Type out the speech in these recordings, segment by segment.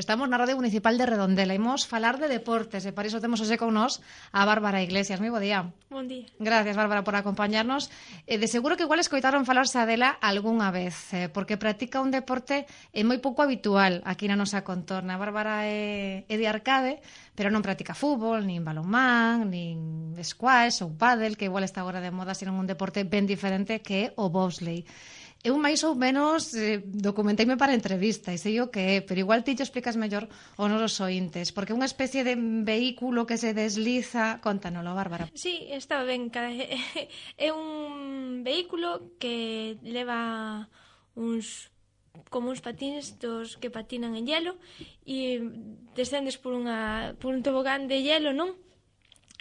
Estamos na Radio Municipal de Redondela. Imos falar de deportes e para iso temos hoxe con nós a Bárbara Iglesias. Moi bo día. Bon día. Gracias, Bárbara, por acompañarnos. De seguro que igual escoitaron falarse dela algunha vez, porque practica un deporte moi pouco habitual aquí na nosa contorna. A Bárbara é de Arcade, pero non practica fútbol, nin balonmán, nin squash ou pádel, que igual está agora de moda, sino un deporte ben diferente que é o bobsleigh. Eu máis ou menos documenteime para a entrevista e sei o que é, pero igual ti te explicas mellor os nosos ointes, porque é unha especie de vehículo que se desliza. Contanoslo, Bárbara. Sí, está ben. É un vehículo que leva como uns patines dos que patinan en hielo e descendes por un tobogán de hielo, non?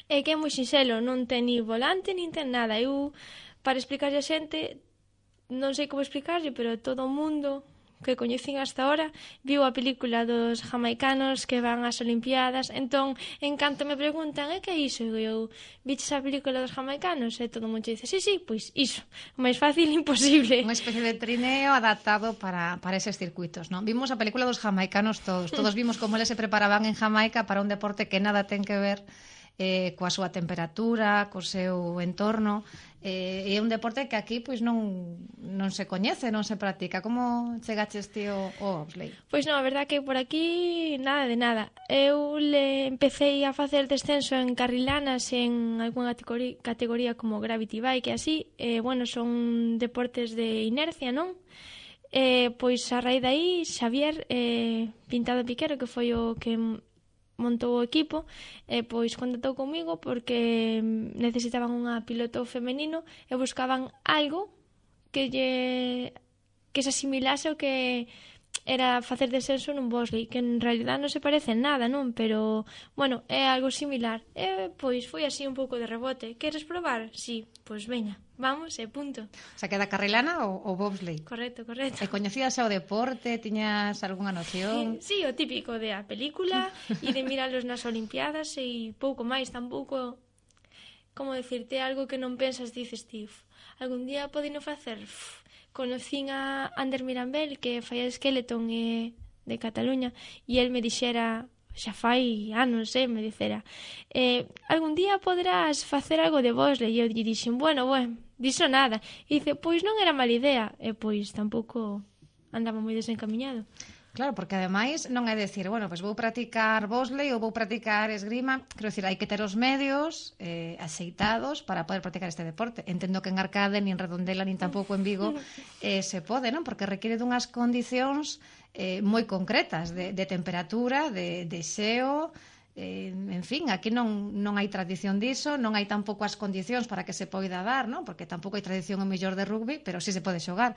É que é moi sinxelo, non ten ni volante, nin ten nada. Eu, para explicarlle a xente, non sei como explicarlle, pero todo o mundo que coñecín hasta ahora viu a película dos jamaicanos que van ás Olimpiadas. Entón, en canto me preguntan, que é iso? E eu, viches a película dos jamaicanos? E todo o mundo dice, sí, pois iso, o máis fácil imposible. Unha especie de trineo adaptado para eses circuitos, non? Vimos a película dos jamaicanos todos vimos como eles se preparaban en Jamaica para un deporte que nada ten que ver coa súa temperatura, co seu entorno. É un deporte que aquí pois non se coñece, non se practica. Como chegaches ti ao bobsleigh? Pois non, a verdad que por aquí nada de nada. Eu empecé a facer descenso en carrilanas en algunha categoría como Gravity Bike e así. Bueno, son deportes de inercia, non? Pois a raíz daí, Xavier Pintado Piquero, que foi o que montou o equipo, pois contactou comigo porque necesitaban unha piloto femenino e buscaban algo que se asimilase ao que era facer descenso nun bobsleigh, que en realidad non se parece en nada, non? Pero, bueno, é algo similar. Pois foi así un pouco de rebote. Queres probar? Sí, pois veña, vamos e punto. O sea, que da carrilana ou bobsleigh? Correcto. E coñecías o deporte? Tiñas algunha noción? Sí, o típico de a película e de miralos nas Olimpiadas e pouco máis, tampouco, como decirte, algo que non pensas, dices ti, algún día podino facer. Conocín a Ander Mirambel, que fai a Skeleton de Cataluña, e el me dixera, xa fai anos, me dixera, algún día poderás facer algo de bobsleigh. E eu dixen, bueno, diso nada. E dice, pois non era mala idea. E pois tampouco andaba moi desencamiñado. Claro, porque ademais non é decir, bueno, pois vou practicar bobsleigh ou vou practicar esgrima. Quero dicir, hai que ter os medios axeitados para poder practicar este deporte. Entendo que en Arcade, nin Redondela, nin tampouco en Vigo se pode, non? Porque requiere dunhas condicións moi concretas de temperatura, de xeo. En fin, aquí non hai tradición diso, non hai tampouco as condicións para que se poida dar, non? Porque tampouco hai tradición o mellor de rugby, pero sí se pode xogar.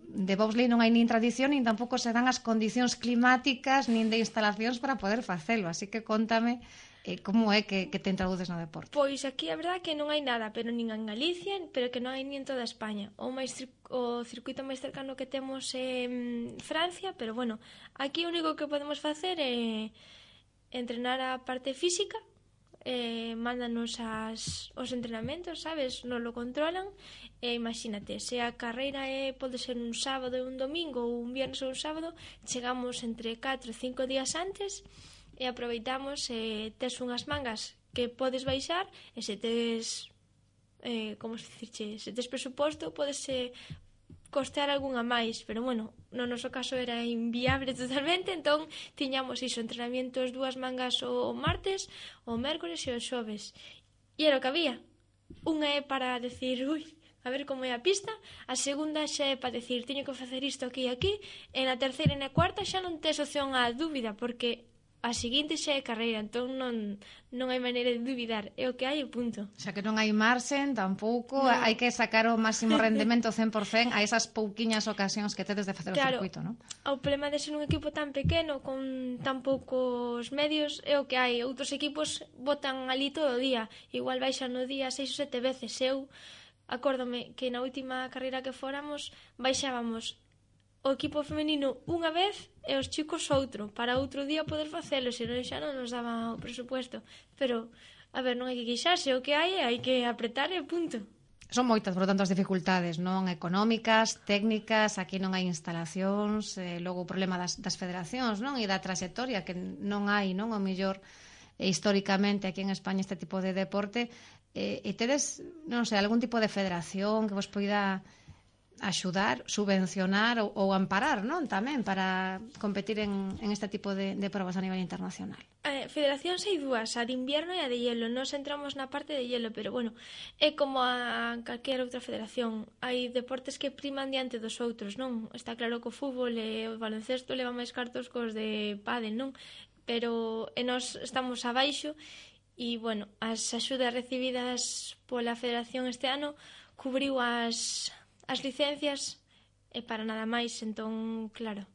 De bobsleigh non hai nin tradición, nin tampouco se dan as condicións climáticas nin de instalacións para poder facelo, así que contame como é que te introduces no deporte. Pois aquí a verdade que non hai nada, pero nin en Galicia, pero que non hai nin en toda España. O circuito máis cercano que temos é Francia, pero bueno, aquí o único que podemos facer é entrenar a parte física, mándanos os entrenamentos, sabes, nos lo controlan, e imagínate, se a carreira pode ser un sábado e un domingo ou un viernes ou un sábado, chegamos entre 4 e 5 días antes e aproveitamos, tes unhas mangas que podes baixar e se tes como se dicirche, se tes presuposto podes costear algunha máis, pero bueno, no noso caso era inviable totalmente, entón tiñamos iso, entrenamientos 2 mangas o martes, o mércores e o xoves. E era o que había. Unha é para decir, a ver como é a pista, a segunda xa é para decir, teño que facer isto aquí e aquí, e na terceira e na cuarta xa non tes opción á dúbida, porque a seguinte xa é carreira, entón non hai maneira de duvidar, é o que hai e punto. O sea que non hai marxen tampouco, hai que sacar o máximo rendemento 100% a esas pouquiñas ocasións que tedes de facer o circuito, non? O problema de ser un equipo tan pequeno con tan poucos medios é o que hai. Outros equipos botan ali todo o día, igual baixan no día 6 ou 7 veces. Eu acórdome que na última carreira que fóramos baixábamos o equipo femenino unha vez e os chicos outro, para outro día poder facelo, senón xa non nos daba o presupuesto. Pero, a ver, non hai que queixarse, o que hai que apretar e punto. Son moitas, por lo tanto, as dificultades, non económicas, técnicas, aquí non hai instalacións, logo o problema das federacións, non? E da traxectoria que non hai, non? O mellor, históricamente aquí en España este tipo de deporte, e tedes, non sei, algún tipo de federación que vos poida axudar, subvencionar ou amparar, non? Tamén para competir en este tipo de probas a nivel internacional. Federacións hai dúas, a de invierno e a de hielo. Nos entramos na parte de hielo, pero bueno, é como a calquera outra federación. Hai deportes que priman diante dos outros, non? Está claro que o fútbol e o baloncesto leva máis cartos cos de pádel, non? Pero nós estamos abaixo e, bueno, as axudas recibidas pola federación este ano cubriu as licencias e para nada máis. Entón, claro,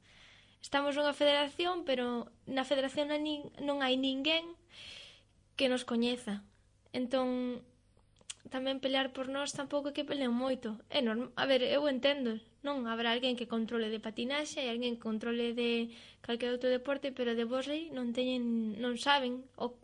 estamos nunha federación, pero na federación non hai ninguén que nos coñeza. Entón, tamén pelear por nós tampouco é que peleen moito. É normal. A ver, eu entendo, non? Habrá alguén que controle de patinaxe e alguén que controle de calquer outro deporte, pero de vólei non saben o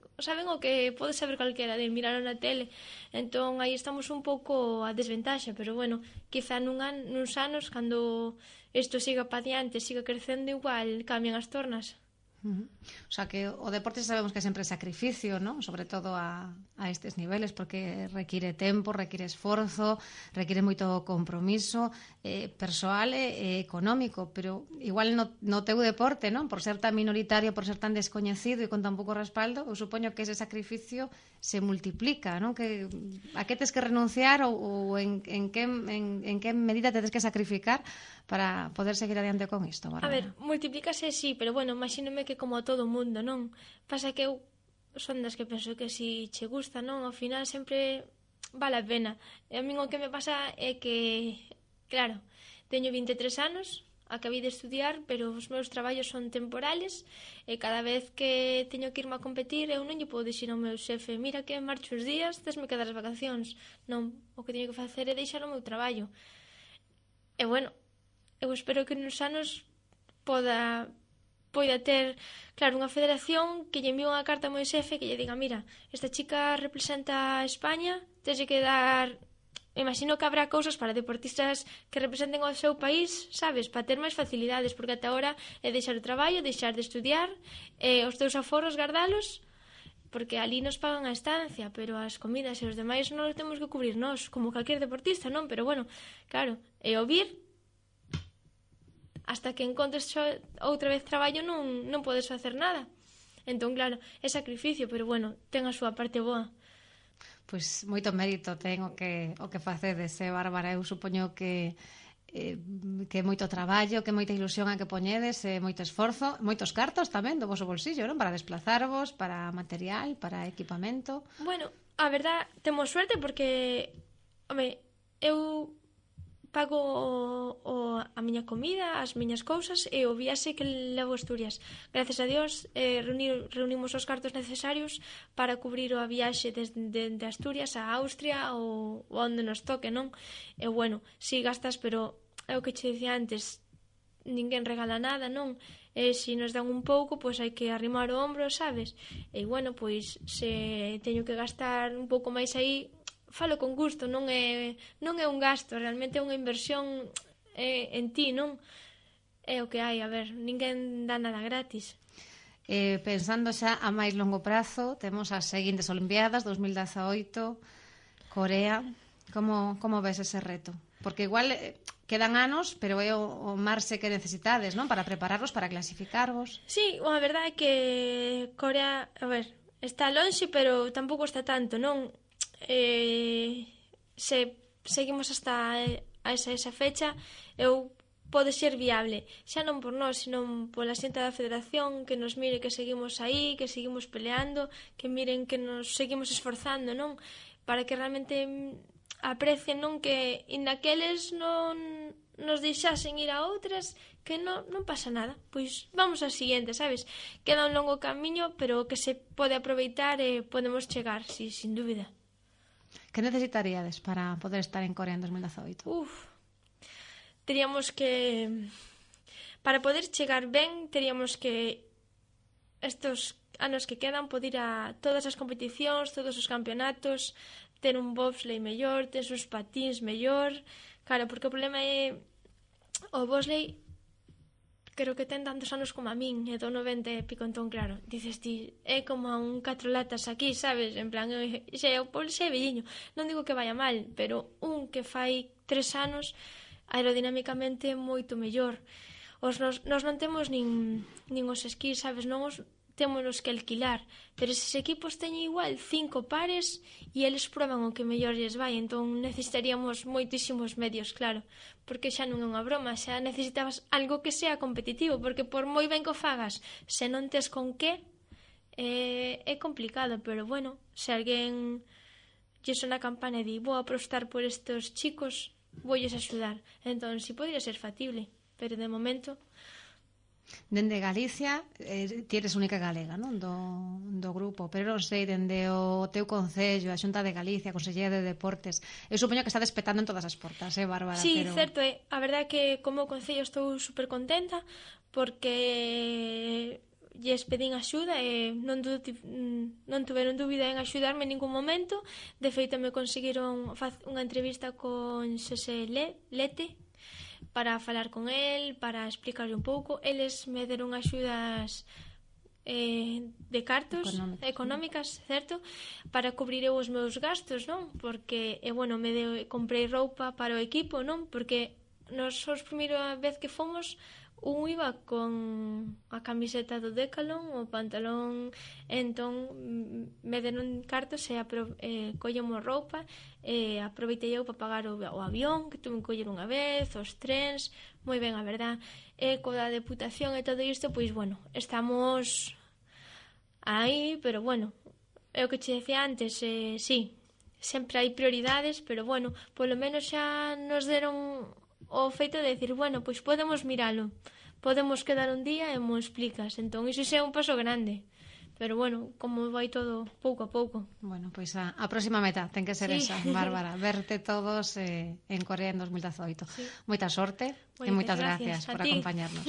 que pode saber calquera de mirar na tele. Entón aí estamos un pouco a desventaxa, pero bueno, quizá nuns anos, cando isto siga pa diante, siga crecendo, igual cambian as tornas. O sea que o deporte sabemos que sempre é sacrificio, ¿no? Sobre todo a estes niveles, porque require tempo, require esforzo, require moito compromiso persoal e económico, pero igual no teu deporte, ¿no? Por ser tan minoritario, por ser tan descoñecido e con tan pouco respaldo, eu supoño que ese sacrificio se multiplica, ¿no? A que tes que renunciar ou en que medida te tes que sacrificar para poder seguir adiante con isto, Bárbara? A ver, multiplícase, sí, pero bueno, imagínome que como a todo o mundo, non? Pasa que eu son das que penso que si che gusta, non? Ao final sempre vale a pena. E a min o que me pasa é que, claro, teño 23 anos, acabei de estudiar, pero os meus traballos son temporales e cada vez que teño que irme a competir eu non lle podo dixir ao meu xefe: mira que marcho os días, tesme que dar as vacacións. Non, o que teño que facer é deixar o meu traballo. E bueno, eu espero que nos anos poida ter, claro, unha federación que lle envíe unha carta ao meu xefe que lle diga: mira, esta chica representa a España, tens que dar... Imagino que habrá cousas para deportistas que representen o seu país, sabes, para ter máis facilidades, porque ata ahora é deixar o traballo, deixar de estudiar, os teus aforros gardalos, porque ali nos pagan a estancia, pero as comidas e os demais non os temos que cubrir nós, como calquer deportista, non? Pero bueno, claro, e o vir, hasta que encontres outra vez traballo non podes facer nada. Entón, claro, é sacrificio, pero bueno, ten a súa parte boa. Pois moito mérito ten o que facedes, Bárbara. Eu supoño que moito traballo, que moita ilusión a que poñedes, moito esforzo, moitos cartos tamén do voso bolsillo, non? Para desplazarvos, para material, para equipamento. Bueno, a verdad, temos suerte porque, home, eu pago a miña comida, as miñas cousas e o viaxe que levo a Asturias. Gracias a Dios reunimos os cartos necesarios para cubrir a viaxe de Asturias a Austria ou onde nos toque, non? E bueno, si gastas, pero é o que che dicía antes, ninguén regala nada, non? E se nos dan un pouco, pois hai que arrimar o ombro, sabes? E bueno, pois se teño que gastar un pouco máis aí, falo con gusto, non é un gasto, realmente é unha inversión en ti, non? É o que hai, a ver, ninguén dá nada gratis. Pensando xa a máis longo prazo, temos as seguintes Olimpiadas 2018, Corea. Como ves ese reto? Porque igual quedan anos, pero é o marxe que necesitades, non? Para prepararvos, para clasificarvos. Sí, a verdade é que Corea, a ver, está lonxe, pero tampouco está tanto, non? Se seguimos hasta esa fecha, pode ser viable, xa non por nós, sino pola xente da federación, que nos mire que seguimos aí, que seguimos peleando, que miren que nos seguimos esforzando, non? Para que realmente aprecien, non? Que naqueles non nos deixasen ir a outras, que non pasa nada, pois vamos ao siguiente, sabes? Queda un longo camiño, pero que se pode aproveitar e podemos chegar, sí, sin dúbida. Que necesitaríades para poder estar en Corea en 2018? Teríamos que... Para poder chegar ben, teríamos que estos anos que quedan poder ir a todas as competicións, todos os campeonatos, ter un bobsleigh mellor, tes uns patins mellor. Claro, porque o problema é o bobsleigh creo que ten tantos anos como a min, e do 90 e pico, entón claro, dices ti, é como un 4 latas aquí, sabes, en plan, xe, o xe é velliño, non digo que vaya mal, pero un que fai 3 anos aerodinámicamente é moito mellor. Nos non temos nin os esquís, sabes, non os témonos que alquilar, pero eses equipos teñen igual 5 pares e eles proban o que mellor lles vai, entón necesitaríamos moitísimos medios, claro, porque xa non é unha broma, xa necesitabas algo que sea competitivo, porque por moi ben que o fagas, se non tes con que, é complicado, pero bueno, se alguén lle sona a campana e di, vou apostar por estes chicos, voulles axudar, entón si podría ser factible, pero de momento... Dende Galicia, ti eres única galega, non? Do grupo, pero non sei, dende o teu concello, a Xunta de Galicia, a Consellería de Deportes, eu supoño que está despetando en todas as portas, Bárbara? Sí, pero... certo, a verdade é que como concello estou super contenta porque lles pedín axuda e non tuveron dúbida en axudarme en ningún momento. De feito, me conseguiron unha entrevista con Xosé Lete para falar con el, para explicarle un pouco. Eles me deron axudas de cartos económicas, certo? Para cubrir eu os meus gastos, non? Porque, bueno, comprei roupa para o equipo, non? Porque nos os primeira vez que fomos, un iba con a camiseta do Decathlon, o pantalón, entón me deron cartos e collemos roupa e aproveitei eu para pagar o avión que tuve que coller unha vez, os trens, moi ben, a verdad. E coa deputación e todo isto, pois bueno, estamos aí, pero bueno, é o que che decía antes, sí, sempre hai prioridades, pero bueno, polo menos xa nos deron o feito de decir, bueno, pois podemos miralo, podemos quedar un día e mo explicas, entón iso xa é un paso grande, pero bueno, como vai todo pouco a pouco. Bueno, pois a próxima meta ten que ser esa, Bárbara, verte todos en Corea en 2018. Sí. Moita sorte e moitas gracias por acompañarnos.